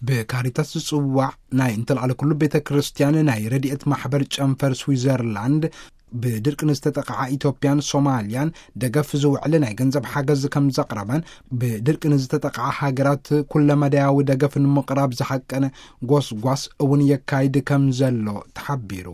ብካሪታስ ዝጽዋዕ ናይ እንተልዓለ ኩሉ ቤተ ክርስቲያን ናይ ረድኤት ማሕበር ጨንፈር ስዊዘርላንድ፣ ብድርቂ ንዝተጠቕዓ ኢትዮጵያን ሶማልያን ደገፍ ዝውዕል ናይ ገንዘብ ሓገዝ ከም ዘቕረበን፣ ብድርቂ ንዝተጠቕዓ ሃገራት ኩለመዳያዊ ደገፍ ንምቕራብ ዝሓቀነ ጎስጓስ እውን የካይድ ከም ዘሎ ተሓቢሩ።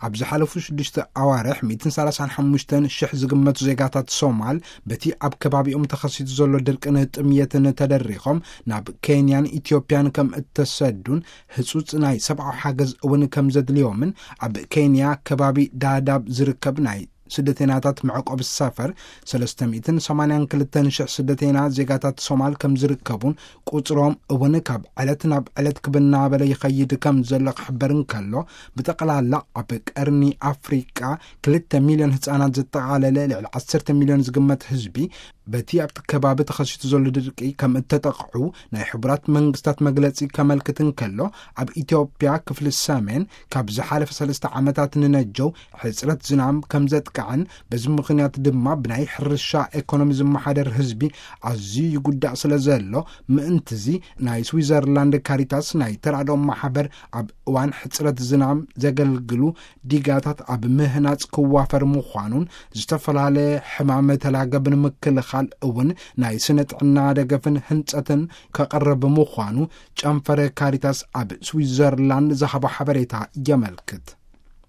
ኣብ ዝሓለፉ ሽዱሽተ ኣዋርሕ ሚእትን ሰላሳን ሓሙሽተን ሽሕ ዝግመቱ ዜጋታት ሶማል በቲ ኣብ ከባቢኦም ተኸሲቱ ዘሎ ድርቅን ጥምየትን ተደሪኾም ናብ ኬንያን ኢትዮጵያን ከም እተሰዱን፣ ህጹጽ ናይ ሰብኣዊ ሓገዝ እውን ከም ዘድልዮምን ኣብ ኬንያ ከባቢ ዳዳብ ዝርከብ ናይ ስደተኛታት መዕቆቢ ሰፈር ሰለስተ ሚእትን ሰማንያን ክልተን ሽሕ ስደተኛ ዜጋታት ሶማል ከም ዝርከቡን፣ ቁጽሮም እውን ካብ ዕለት ናብ ዕለት ክብናበለ ይኸይድ ከም ዘሎ ክሕበር እንከሎ፣ ብጠቕላላ ኣብ ቀርኒ ኣፍሪቃ ክልተ ሚልዮን ህጻናት ዘጠቓለለ ልዕሊ ዓሰርተ ሚልዮን ዝግመት ህዝቢ በቲ ኣብቲ ከባቢ ተኸሲቱ ዘሎ ድርቂ ከም እተጠቕዑ ናይ ሕቡራት መንግስታት መግለጺ ከመልክት እንከሎ፣ ኣብ ኢትዮጵያ ክፍሊ ሰሜን ካብ ዝሓለፈ ሰለስተ ዓመታት ንነጀው ሕጽረት ዝናም ከም ዘጥቅዐን፣ በዚ ምኽንያት ድማ ብናይ ሕርሻ ኤኮኖሚ ዝመሓደር ህዝቢ ኣዝዩ ይጉዳእ ስለ ዘሎ፣ ምእንትዚ ናይ ስዊዘርላንድ ካሪታስ ናይ ተራድኦ ማሕበር ኣብ እዋን ሕጽረት ዝናም ዘገልግሉ ዲጋታት ኣብ ምህናጽ ክዋፈር ምዃኑን፣ ዝተፈላለየ ሕማም ተላገብ ንምክልኻል እውን ናይ ስነ ጥዕና ደገፍን ህንጸትን ከቕርብ ምዃኑ ጨንፈረ ካሪታስ ኣብ ስዊዘርላንድ ዝሃቦ ሓበሬታ የመልክት።